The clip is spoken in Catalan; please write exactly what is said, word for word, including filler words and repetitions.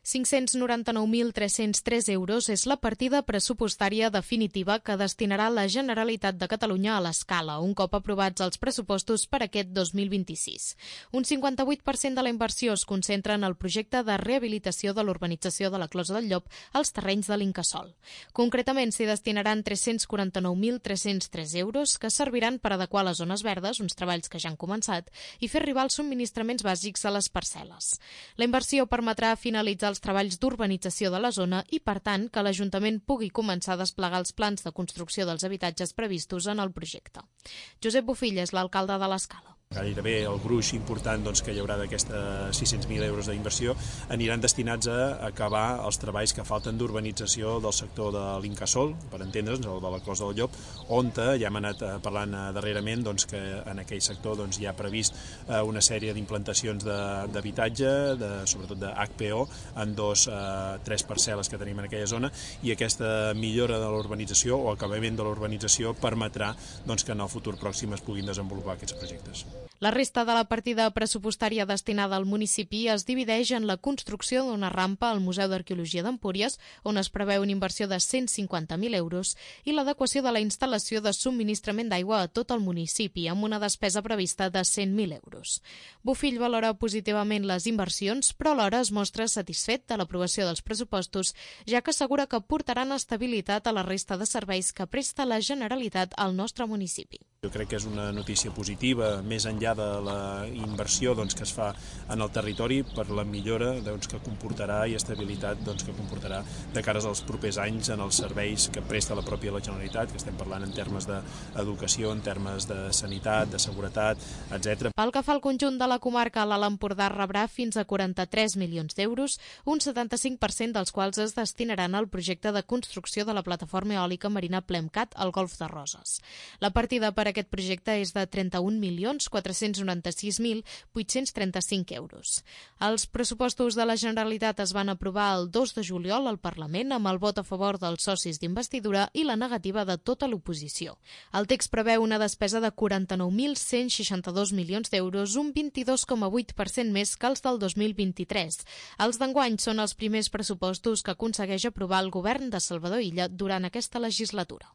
cinc-cents noranta-nou mil tres-cents tres euros és la partida pressupostària definitiva que destinarà la Generalitat de Catalunya a l'Escala, un cop aprovats els pressupostos per aquest dos mil vint-i-sis. Un cinquanta-vuit per cent de la inversió es concentra en el projecte de rehabilitació de l'urbanització de la Closa del Llop als terrenys de l'Incasòl. Concretament, s'hi destinaran tres-cents quaranta-nou mil tres-cents tres euros que serviran per adequar les zones verdes, uns treballs que ja han començat, i fer arribar els subministraments bàsics a les parcel·les. La inversió permetrà finalitzar els treballs d'urbanització de la zona i, per tant, que l'Ajuntament pugui començar a desplegar els plans de construcció dels habitatges previstos en el projecte. Josep Bofill és l'alcalde de l'Escala. Gairebé el gruix important doncs, que hi haurà d'aquestes sis-cents mil euros d'inversió aniran destinats a acabar els treballs que falten d'urbanització del sector de l'Incasòl, per entendre'ns, el de la Closa del Llop, on ja hem anat parlant darrerament doncs, que en aquell sector doncs, hi ha previst una sèrie d'implantacions d'habitatge, de, sobretot de H P O, en dos, eh, tres parcel·les que tenim en aquella zona, i aquesta millora de l'urbanització o acabament de l'urbanització permetrà doncs, que en el futur pròxim es puguin desenvolupar aquests projectes. La resta de la partida pressupostària destinada al municipi es divideix en la construcció d'una rampa al Museu d'Arqueologia d'Empúries, on es preveu una inversió de cent cinquanta mil euros, i l'adequació de la instal·lació de subministrament d'aigua a tot el municipi, amb una despesa prevista de cent mil euros. Bofill valora positivament les inversions, però alhora es mostra satisfet de l'aprovació dels pressupostos, ja que assegura que portaran estabilitat a la resta de serveis que presta la Generalitat al nostre municipi. Jo crec que és una notícia positiva, més enllà de la inversió doncs, que es fa en el territori per la millora doncs, que comportarà i estabilitat doncs, que comportarà de cara als propers anys en els serveis que presta la pròpia la Generalitat, que estem parlant en termes d'educació, en termes de sanitat, de seguretat, etcètera. Pel que fa al conjunt de la comarca, l'Alt Empordà rebrà fins a quaranta-tres milions d'euros, un setanta-cinc per cent dels quals es destinaran al projecte de construcció de la plataforma eòlica marina Plemcat al Golf de Roses. La partida per aquest projecte és de trenta-un milions quatre-cents noranta-sis mil vuit-cents trenta-cinc euros. Els pressupostos de la Generalitat es van aprovar el dos de juliol al Parlament amb el vot a favor dels socis d'investidura i la negativa de tota l'oposició. El text preveu una despesa de quaranta-nou mil cent seixanta-dos milions d'euros, un vint-i-dos coma vuit per cent més que els del dos mil vint-i-tres. Els d'enguany són els primers pressupostos que aconsegueix aprovar el govern de Salvador Illa durant aquesta legislatura.